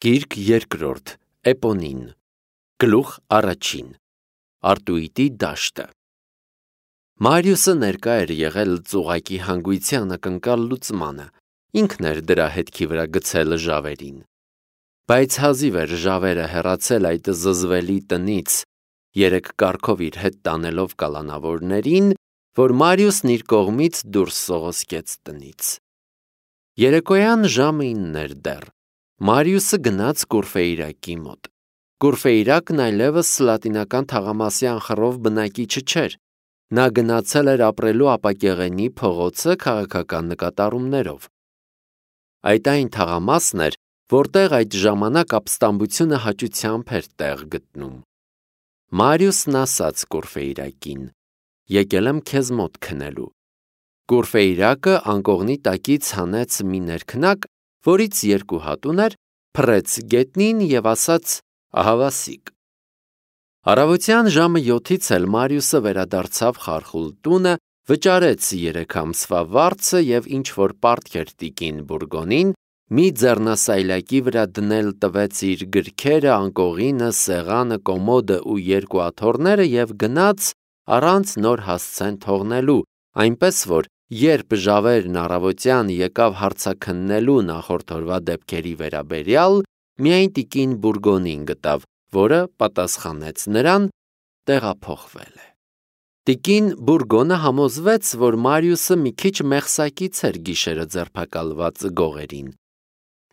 Գիրք երկրորդ, Էպոնին, գլուխ առաջին, Արտուիտի դաշտը։ Մարիուսը ներկա էր եղել ծուղակի հանգույցի անակնկալ լուծմանը, ինքն էր դրա հետքի վրա գցել ժավերին։ Բայց հազիվ էր ժավերը հեռացել այդ զզվելի տնից, 3 կառքով իր հետ տանելով կալանավորներին, որ Մարիուսն իր կողմից դուրս սողոսկեց տնից։ Երեկոյան ժամը 9 էր դեռ։ Մարիուսը գնաց Կուրֆեյրակի մոտ։ Կուրֆեյրակն այլևս լատինական թաղամասի անխռով բնակիչը չէր։ Նա գնացել էր ապրելու ապակեղենի փողոցը քաղաքական նկատառումներով։ Այդ այն թաղամասն էր, որտեղ այդ ժամանակ ապստամբությունը հաճությամբ էր տեղ գտնում։ Մարիուսն ասաց Կուրֆեյրակին. «Եկել եմ քեզ մոտ քնելու»։ Կուրֆեյրակը անկողնի տակից հանեց մի ներքնակ, որից 2 հատ ուներ, փռեց գետնին և ասաց. «Ահավասիկ»։ Առավոտյան ժամը 7-ից էլ Մարիուսը վերադարձավ խարխուլ տունը, վճարեց 3 ամսվա վարձը և ինչ-որ պարտք էր տիկին Բուրգոնին, մի ձեռնասայլակի վրա դնել տվեց իր գրքերը, անկողինը, սեղանը, կոմոդը ու 2 աթոռները և գնաց առանց նոր հասցեն թողնելու, այնպես որ երբ ժավերն առավոտյան եկավ հարցաքննելու նախորդ օրվա դեպքերի վերաբերյալ, միայն տիկին Բուրգոնին գտավ, որը պատասխանեց նրան. տեղափոխվել է։ Տիկին Բուրգոնը համոզվեց, որ Մարիուսը մի քիչ մեղսակից էր գիշերը ձերբակալված գողերին։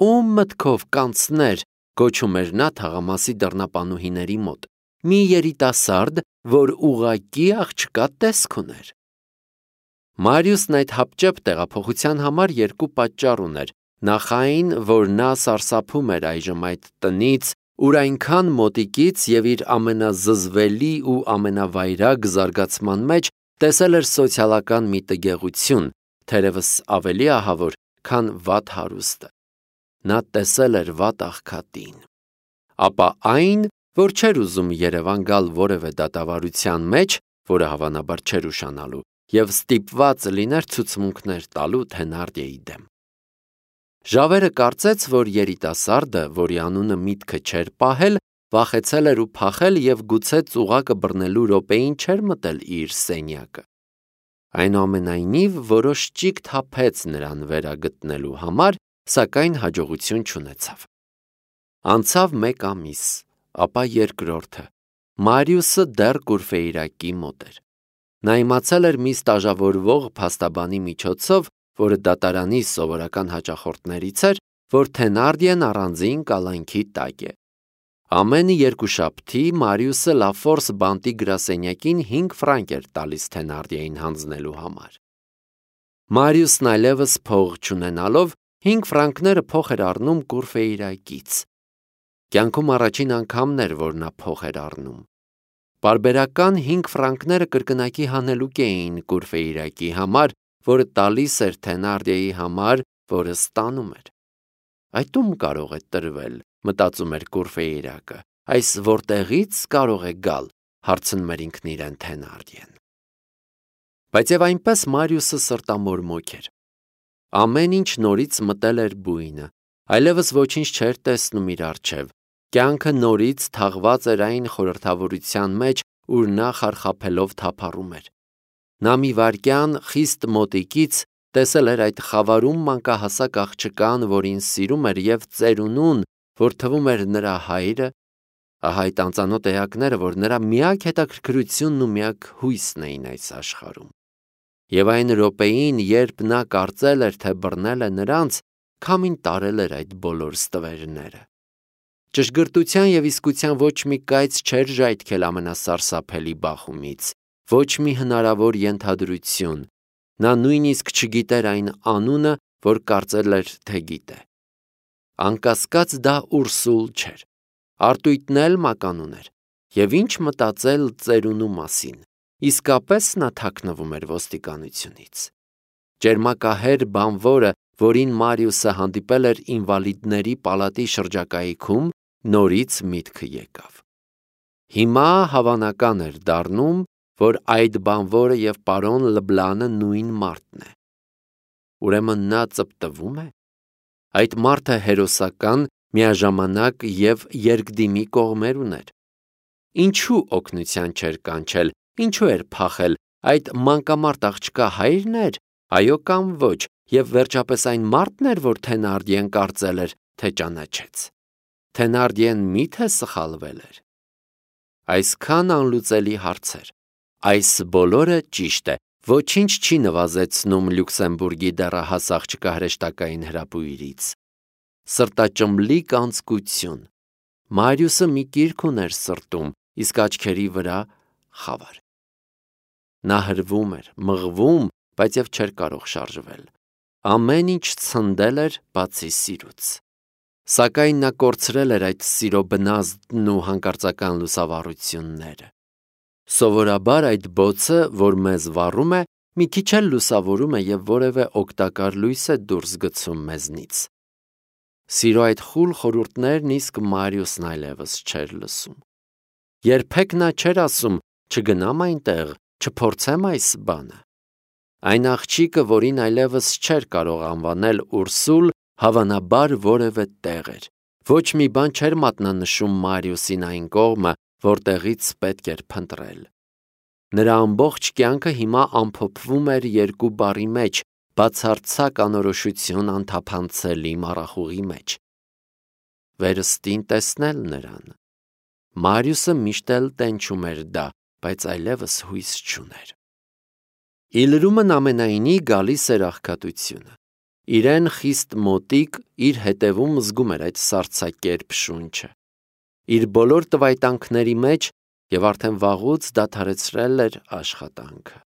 «Ում մտքով կանցներ», գոչում էր նա թաղամասի դռնապանուհիների մոտ, մի երիտասարդ, որ ուղղակի աղջկա տեսք ուներ։ Մարիուսն այդ հապճեպ տեղափոխության համար 2 պատճառ ուներ, նախ այն, որ նա սարսափում էր այժմ այդ տնից, ուր այնքան մոտիկից և իր ամենազզվելի ու ամենավայրագ զարգացման մեջ տեսել էր սոցիալական մի տգեղություն, թերևս ավելի ահավոր, քան վատ հարուստը։ Նա տեսել էր վատ աղքատին։ Ապա այն, որ չէր ուզում Երևան գալ որևէ դատավարության մեջ, որը հավանաբար չէր ուշանալու, և ստիպված լիներ ցուցմունքներ տալու Թենարդիեի դեմ։ Ժավերը կարծեց, որ երիտասարդը, որի անունը միտքը չէր պահել, վախեցել էր ու փախել և գուցե ծուղակը բռնելու րոպեին չէր մտել իր սենյակը։ Այնուամենայնիվ, որոշ ճիգ թափեց նրան վերագտնելու համար, սակայն հաջողություն չունեցավ։ Անցավ 1 ամիս, ապա երկրորդը։ Մարիուսը դեռ Կուրֆեյրակի մոտ էր։ Նա իմացել էր մի ստաժավորվող փաստաբանի միջոցով, որը դատարանի սովորական հաճախորդներից էր, որ Թենարդիեն առանձին կալանքի տակ է։ Ամեն երկուշաբթի Մարիուսը Լաֆորս բանտի գրասենյակին 5 ֆրանկ էր տալիս Թենարդիեին հանձնելու համար։ Մարիուսն այլևս փող չունենալով 5 ֆրանկները փոխ էր առնում Կուրֆեյրակից։ Կյանքում առաջին անգամն էր, որ նա փող էր առնում։ Պարբերական 5 ֆրանկները կրկնակի հանելուկ էին Կուրֆեյրակի համար, որը տալիս էր Թենարդիեի համար, որը ստանում էր։ Այդ ում կարող է տրվել, մտածում էր Կուրֆեյրակը, այս որտեղից կարող է գալ, հարցնում էր ինքն իրեն Թենարդիեն։ Բայց և այնպես Մարիուսը սրտամորմոք էր։ Ամեն ինչ նորից մտել էր բույնը, այլևս ոչինչ չէր տեսնում իր առջև, կյանքը նորից թաղված էր այն խորհրդավորության մեջ, ուր նա խարխափելով թափառում էր։ Նա մի վայրկյան խիստ մոտիկից տեսել էր այդ խավարում մանկահասակ աղջկան, որին սիրում էր, և ծերունուն, որ թվում էր նրա հայրը, ահա այդ անծանոթ էակները, որ նրա միակ հետաքրքրությունն ու միակ հույսն էին այս աշխարհում։ Եվ այն րոպեին, երբ նա կարծել էր, թե բռնել է նրանց, քամին տարել էր այդ բոլոր ստվերները։ Ճշգրտության և իսկության ոչ մի կայծ չէր ժայթքել ամենասարսափելի բախումից, ոչ մի հնարավոր ենթադրություն։ Նա նույնիսկ չգիտեր այն անունը, որ կարծել էր, թե գիտե։ Անկասկած դա Ուրսուլ չէր։ Արտույտն էլ մականուն էր։ Եվ ինչ մտածել ծերունու մասին։ Իսկապես նա թաքնվում էր ոստիկանությունից։ Ճերմակահեր բանվորը, որին Մարիուսը հանդիպել էր ինվալիդների պալատի շրջակայքում, նորից միտքը եկավ։ Հիմա հավանական էր դառնում, որ այդ բանվորը և պարոն Լբլանը նույն մարդն է։ Ուրեմն նա ծպտվում է։ Այդ մարդը հերոսական միաժամանակ և երկդիմի կողմեր ուներ։ Ինչու օգնության չէր կանչել, ինչու էր փախել, այդ մանկամարտ աղջկա հայրն էր, այո կամ ոչ, և վերջապես այն մարդն էր, որ Թենարդիեն կարծել էր, թե ճանաչեց։ Թենարդիեն միթե սխալվել էր։ Այսքան անլուծելի հարցեր։ Այս բոլորը ճիշտ է, ոչինչ չի նվազեցնում Լյուքսեմբուրգի դեռահաս աղջկա հրեշտակային հրապույրից։ Սրտաճմլիկ անձկություն։ Մարիուսը մի կիրք ուներ սրտում, իսկ աչքերի վրա խավար։ Նա հրվում էր, մղվում, բայց և չէր կարող շարժվել։ Ամեն ինչ ցնդել էր, բացի սիրուց։ Սակայն նա կորցրել էր այդ սիրո բնազդն ու հանկարծական լուսավառությունները։ Սովորաբար այդ բոցը, որ մեզ վառում է, մի քիչ էլ լուսավորում է և որևէ օգտակար լույս է դուրս գցում մեզնից։ Սիրո այդ խուլ խորհուրդներն իսկ Մարիուսն այլևս չէր լսում։ Երբեք նա չէր ասում. չգնամ այնտեղ, չփորձեմ այս բանը։ Այն աղջիկը, որին այլևս չէր կարող անվանել Ուրսուլ, հավանաբար որևէ տեղ էր։ Ոչ մի բան չէր մատնանշում Մարիուսին այն կողմը, որտեղից պետք էր փնտրել։ Նրա ամբողջ կյանքը հիմա ամփոփվում էր երկու բառի մեջ՝ բացարձակ անորոշություն անթափանցելի մառախուղի մեջ։ Վերստին տեսնել նրան։ Մարիուսը միշտ էլ տենչում էր դա, բայց այլևս հույս չուներ։ Ի լրումն ամենայնի գալիս էր աղքատությունը։ Իրեն խիստ մոտիկ իր հետևում զգում էր այդ սառցակերպ շունչը։ Իր բոլոր տվայտանքների մեջ և արդեն վաղուց դադարեցրել էր աշխատանքը։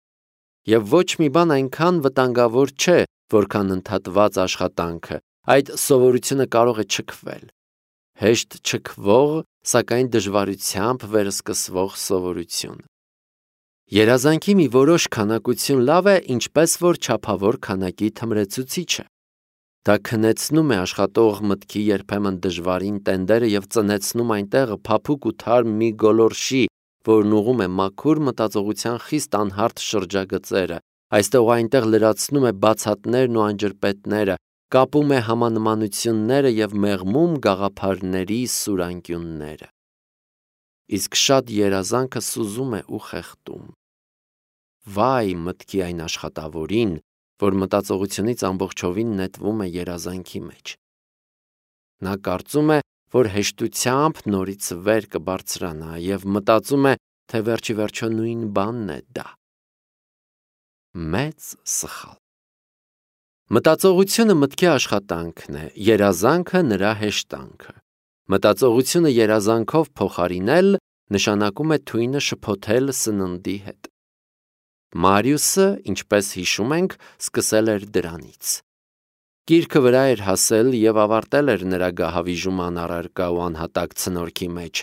Եվ ոչ մի բան այնքան վտանգավոր չէ, որքան ընդհատված աշխատանքը, այդ սովորությունը կարող է չքվել։ Հեշտ չքվող, սակայն դժվարությամբ վերսկսվող սովորություն։ Երազանքի մի որոշ քանակություն լավ է, ինչպես որ չափավոր քանակի թմրեցուցիչը։ Դա քնեցնում է աշխատող մտքի երբեմն դժվարին տենդերը և ծնեցնում այնտեղ փափուկ ու թարմ մի գոլորշի, որն ուղղում է մաքուր մտածողության խիստ անհարթ շրջագծերը, այստեղ ու այնտեղ լրացնում է բացատներն ու անջրպետները, կապում է համանմանությունները և մեղմում գաղափարների սուրանկյունները։ Իսկ շատ երազանքը սուզում է ու խեղդում։ Վայ մտքի այն աշխատավորին, որ մտածողությունից ամբողջովին նետվում է երազանքի մեջ։ Նա կարծում է, որ հեշտությամբ նորից վեր կբարձրանա և մտածում է, թե վերջի վերջո նույն բանն է դա։ Մեծ սխալ։ Մտածողությունը մտքի աշխատանքն է, երազանքը նրա հեշտանքը։ Մտածողությունը երազանքով փոխարինել նշանակում է թույնը շփոթել սննդի հետ։ Մարիուսը, ինչպես հիշում ենք, սկսել էր դրանից։ Կիրքը վրա էր հասել և ավարտել էր նրա գահավիժման առարկա ու անհատակ ցնորքի մեջ։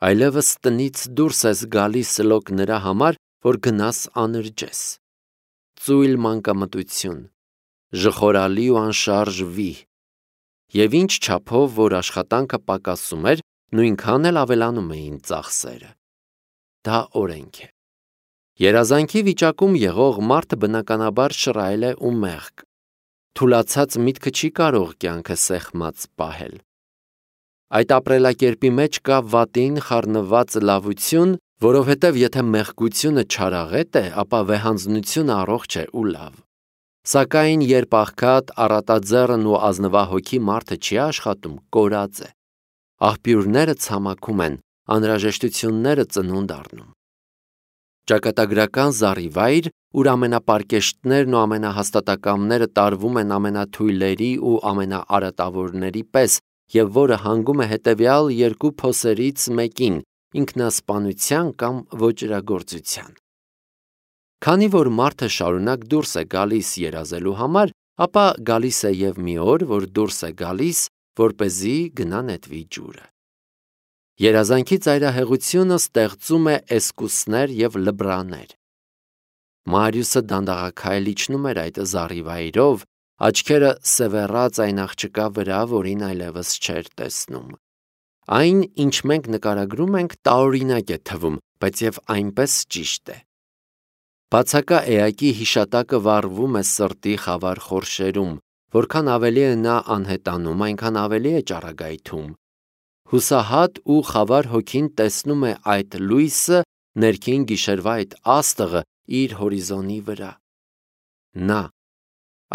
Այլևս տնից դուրս ես գալիս լոկ նրա համար, որ գնաս անրջես։ Ծույլ մանկամտություն, ժխորալի ու անշարժ վիհ։ Եվ ինչ չափով, որ աշխատանքը պակասում էր, նույնքան էլ ավելանում էին ծախսերը։ Դա օրենք է։ Երազանքի վիճակում եղող մարդը բնականաբար շռայլ է ու մեղք։ Թուլացած միտքը չի կարող կյանքը սեղմած պահել։ Այդ ապրելակերպի մեջ կա վատին խառնված լավություն, որովհետև եթե մեղքությունը չարաղետ է, ապա վեհանձնությունը առողջ է ու լավ։ Սակայն երբ աղքատ, առատաձեռն ու ազնվահոգի մարդը չի աշխատում, կորած է։ Աղբյուրները ցամաքում են, անհրաժեշտությունները ծնունդ առնում։ Ճակատագրական զառիվայր, ուր ամենապարկեշտներն ու ամենահաստատակամները տարվում են ամենաթույլերի ու ամենաարատավորների պես, և որը հանգում է հետևյալ երկու փոսերից մեկին՝ ինքնասպանության կամ ոճրագործության։ Քանի որ մարդը շարունակ դուրս է գալիս երազելու համար, ապա գալիս է և մի օր, որ դուրս է գալիս, որպեսզի գնա նետվի ջուրը։ Երազանքի ծայրահեղությունը ստեղծում է էսկուսներ և լբրաներ։ Մարիուսը դանդաղաքայլ իջնում էր այդ զառիվայրով, աչքերը սևեռած այն աղջկա վրա, որին այլևս չէր տեսնում։ Այն, ինչ մենք նկարագրում ենք, տարօրինակ է թվում, բայց և այնպես ճիշտ է։ Բացակա էակի հիշատակը վառվում է սրտի խավար խորշերում, որքան ավելի է նա անհետանում, այնքան ավելի է ճառագայթում։ Հուսահատ ու խավար հոգին տեսնում է այդ լույսը, ներքին գիշերվա այդ աստղը իր հորիզոնի վրա։ Նա,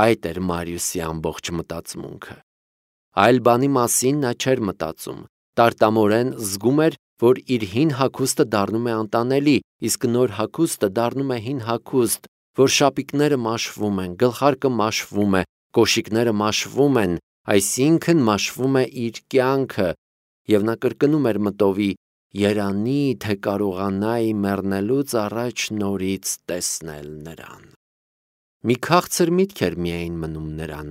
այդ էր Մարիուսի ամբողջ մտածմունքը։ Այլ բանի մասին նա չէր մտածում, տարտամորեն զգում էր, որ իր հին հագուստը դառնում է անտանելի, իսկ նոր հագուստը դառնում է հին հագուստ, որ շապիկները մաշվում են, գլխարկը մաշվում է, կոշիկները մաշվում են, այսինքն մաշվում է իր կյանքը, և նա կրկնում էր մտովի. «Երանի, թե կարողանայի մեռնելուց առաջ նորից տեսնել նրան»։ Մի քաղցր միտք էր միայն մնում նրան,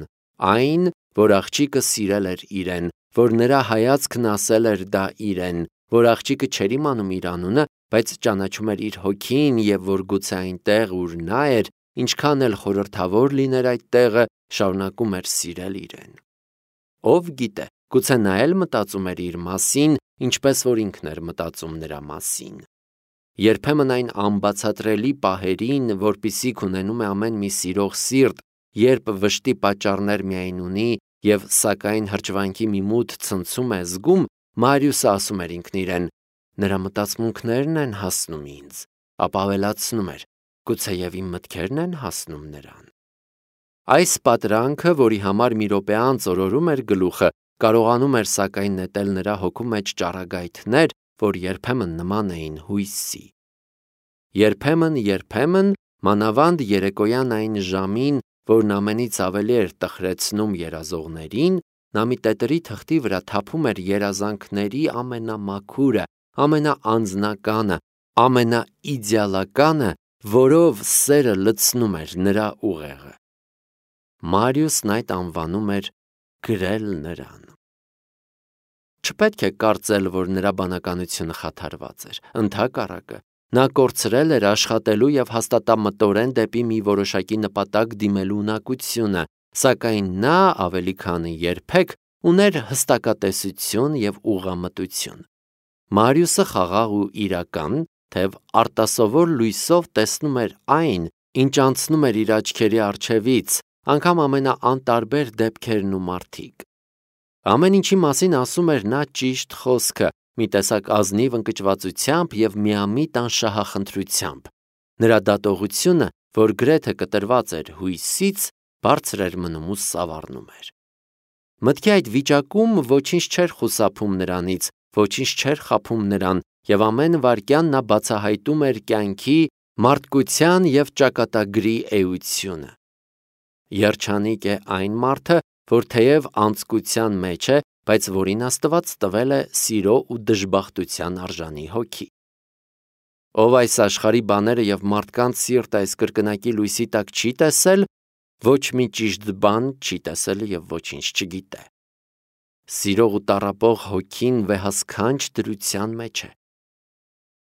այն, որ աղջիկը սիրել էր իրեն, որ նրա հայացքն ասել էր դա իրեն, որ աղջիկը չէր իմանում իր անունը, բայց ճանաչում էր իր հոգին, և որ գուցե այնտեղ, ուր նա էր, ինչքան էլ խորհրդավոր լիներ այդ տեղը, շարունակում էր սիրել իրեն։ Ով գիտե, գուցե նա էլ մտածում էր իր մասին, ինչպես որ ինքն էր մտածում նրա մասին։ Երբեմն այն անբացատրելի պահերին, որպիսիք ունենում է ամեն մի սիրող սիրտ, երբ վշտի պատճառներ միայն ունի և սակայն հրճվանքի մի մութ ցնցում է զգում, Մարիուսը ասում էր ինքն իրեն. նրա մտածմունքներն են հասնում ինձ, ապա ավելացնում էր. գուցեև իմ մտքերն են հասնում նրան։ Այս պատրանքը, որի համար մի րոպե անց օրորում էր գլուխը, կարողանում էր սակայն նետել նրա հոգու մեջ ճառագայթներ, որ երբեմն նման էին հույսի։ Երբեմն, մանավանդ երեկոյան այն ժամին, որն ամենից ավելի էր տխրեցնում երազողներին, նա մի տետրի թղթի վրա թափում էր երազանքների ամենամաքուրը, ամենաանձնականը, ամենաիդեալականը, որով սերը լցնում էր նրա ուղեղը։ Մարիուսն այդ անվանում էր գրել նրան։ Չպետք է կարծել, որ նրա բանականությունը խաթարված էր, ընդհակառակը, նա կորցրել էր աշխատելու և հաստատամտորեն դեպի մի որոշակի նպատակ դիմելու ունակությունը, սակայն նա ավելի քան երբեք ուներ հստակատեսություն և ուղղամտություն։ Մարիուսը խաղաղ ու իրական, թեև արտասովոր լույսով տեսնում էր այն, ինչ անցնում էր իր աչքերի առջևից, անգամ ամենաանտարբեր դեպքերն ու մարդիկ։ Ամեն ինչի մասին ասում էր նա ճիշտ խոսքը, մի տեսակ ազնիվ ընկճվածությամբ և միամիտ անշահախնդրությամբ։ Նրա դատողությունը, որ գրեթե կտրված էր հույսից, բարձր էր մնում ու սավառնում էր։ Մտքի այդ վիճակում ոչինչ չէր խուսափում նրանից, ոչինչ չէր խաբում նրան, և ամեն վայրկյան նա բացահայտում էր կյանքի, մարդկության և ճակատագրի էությունը։ Երջանիկ է այն մարդը, որ թեև անձկության մեջ է, բայց որին Աստված տվել է սիրո ու դժբախտության արժանի հոգի։ Ով այս աշխարհի բաները և մարդկանց սիրտը այս կրկնակի լույսի տակ չի տեսել, ոչ մի ճիշտ բան չի տեսել և ոչինչ չգիտե։ Սիրող ու տառապող հոգին վեհասքանչ դրության մեջ է։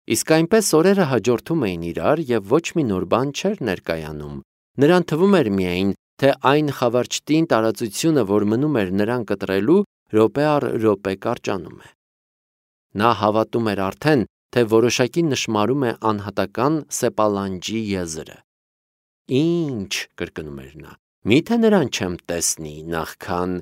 Իսկ այնպես օրերը հաջորդում էին իրար, և ոչ մի նոր բան չէր ներկայանում։ Նրան թվում էր միայն, թե այն խավարճտին տարածությունը, որ մնում էր նրան կտրելու, րոպե առ րոպե կարճանում է։ Նա հավատում էր արդեն, թե որոշակի նշմարում է անհատական սեպալանջի եզրը։ Ինչ, կրկնում էր նա, միթե նրան չեմ տեսնի նախքան։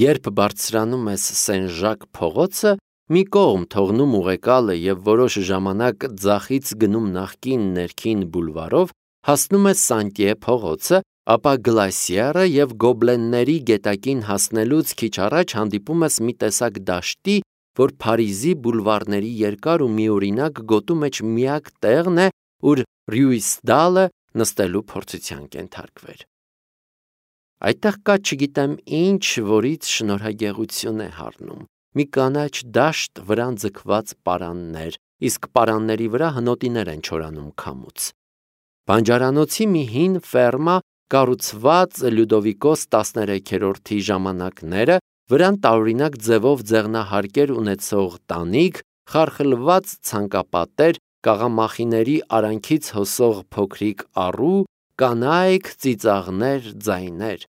Երբ բարձրանում ես Սեն-Ժակ փողոցը, մի կողմ թողնում ուղեկալը և որոշ ժամանակ ձախից գնում նախկին ներքին բուլվարով, հասնում ես Սանտիե փողոցը, ապա Գլասիարը և Գոբլենների գետակին հասնելուց քիչ առաջ հանդիպում ես մի տեսակ դաշտի, որ Փարիզի բուլվարների երկար ու միօրինակ գոտու մեջ միակ տեղն է, ուր Ռյուիսդալը նստելու փորձության կենթարկվեր։ Այդտեղ կա չգիտեմ ինչ, որից շնորհագեղություն է հառնում, մի կանաչ դաշտ, վրան ձգված պարաններ, իսկ պարանների վրա հնոտիներ են չորանում քամուց։ Բանջարանոցի մի հին ֆերմա, կառուցված Լյուդովիկոս 13-րդի ժամանակները, վրան տարօրինակ ձևով ձեղնահարկեր ունեցող տանիք, խարխլված ցանկապատեր, կաղամախիների արանքից հոսող փոքրիկ առու, կանայք, ծիծաղներ, ձայներ։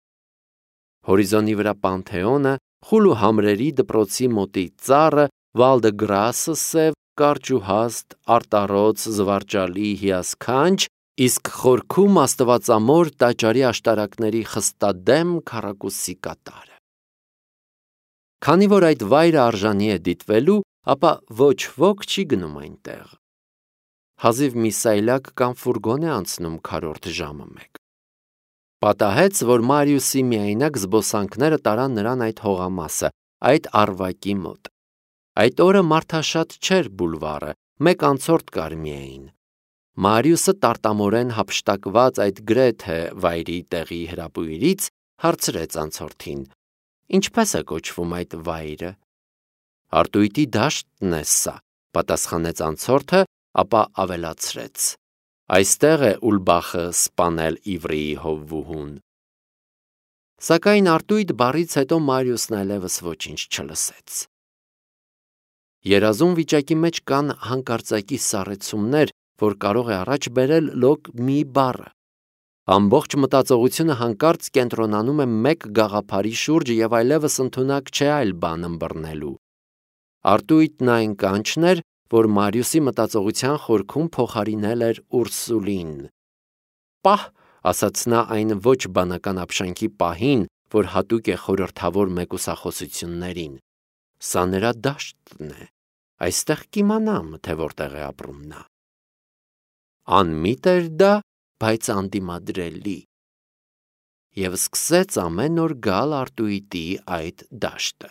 Հորիզոնի վրա Պանթեոնը, խուլ ու համրերի դպրոցի մոտի ծառը, Վալ դը Գրասը սև, կարճ ու հաստ, արտառոց, զվարճալի, հիասքանչ, իսկ խորքում աստվածամոր տաճարի աշտարակների խստադեմ քառակուսի կատարը։ Քանի որ այդ վայրը արժանի է դիտվելու, ապա ոչ ոք չի գնում այնտեղ։ Հազիվ մի սայլակ կամ ֆուրգոն է անցնում քառորդ ժամը մեկ։ Պատահեց, որ Մարիուսի միայնակ զբոսանքները տարան նրան այդ հողամասը, այդ առվակի մոտ։ Այդ օրը մարդաշատ չէր բուլվարը, մեկ անցորդ կար միայն։ Մարիուսը տարտամորեն հափշտակված այդ գրեթե վայրի տեղի հրապույրից հարցրեց անցորդին. «Ինչպես է կոչվում այդ վայրը»։ «Արտույտի դաշտն է սա», պատասխանեց անցորդը, ապա ավելացրեց. «Այստեղ է Ուլբախը սպանել իվրեի հովվուհուն»։ Սակայն արտույտ բառից հետո Մարիուսն այլևս ոչինչ չլսեց։ Երազում վիճակի մեջ կան հանկարծակի սառեցումներ, որ կարող է առաջ բերել լոկ մի բառը։ Ամբողջ մտածողությունը հանկարծ կենտրոնանում է մեկ գաղափարի շուրջ և այլևս ընդունակ չէ այլ բան ըմբռնելու։ Արտույտն այն կանչն էր, որ Մարիուսի մտածողության խորքում փոխարինել էր Ուրսուլին։ «Պահ», ասաց նա այն ոչ բանական ապշանքի պահին, որ հատուկ է խորհրդավոր մեկուսախոսություններին, «սա նրա դաշտն է, այստեղ կիմանամ, թե որտեղ է ապրում նա»։ Անմիտ էր դա, բայց անդիմադրելի։ Եվ սկսեց ամեն օր գալ արտույտի այդ դաշտը։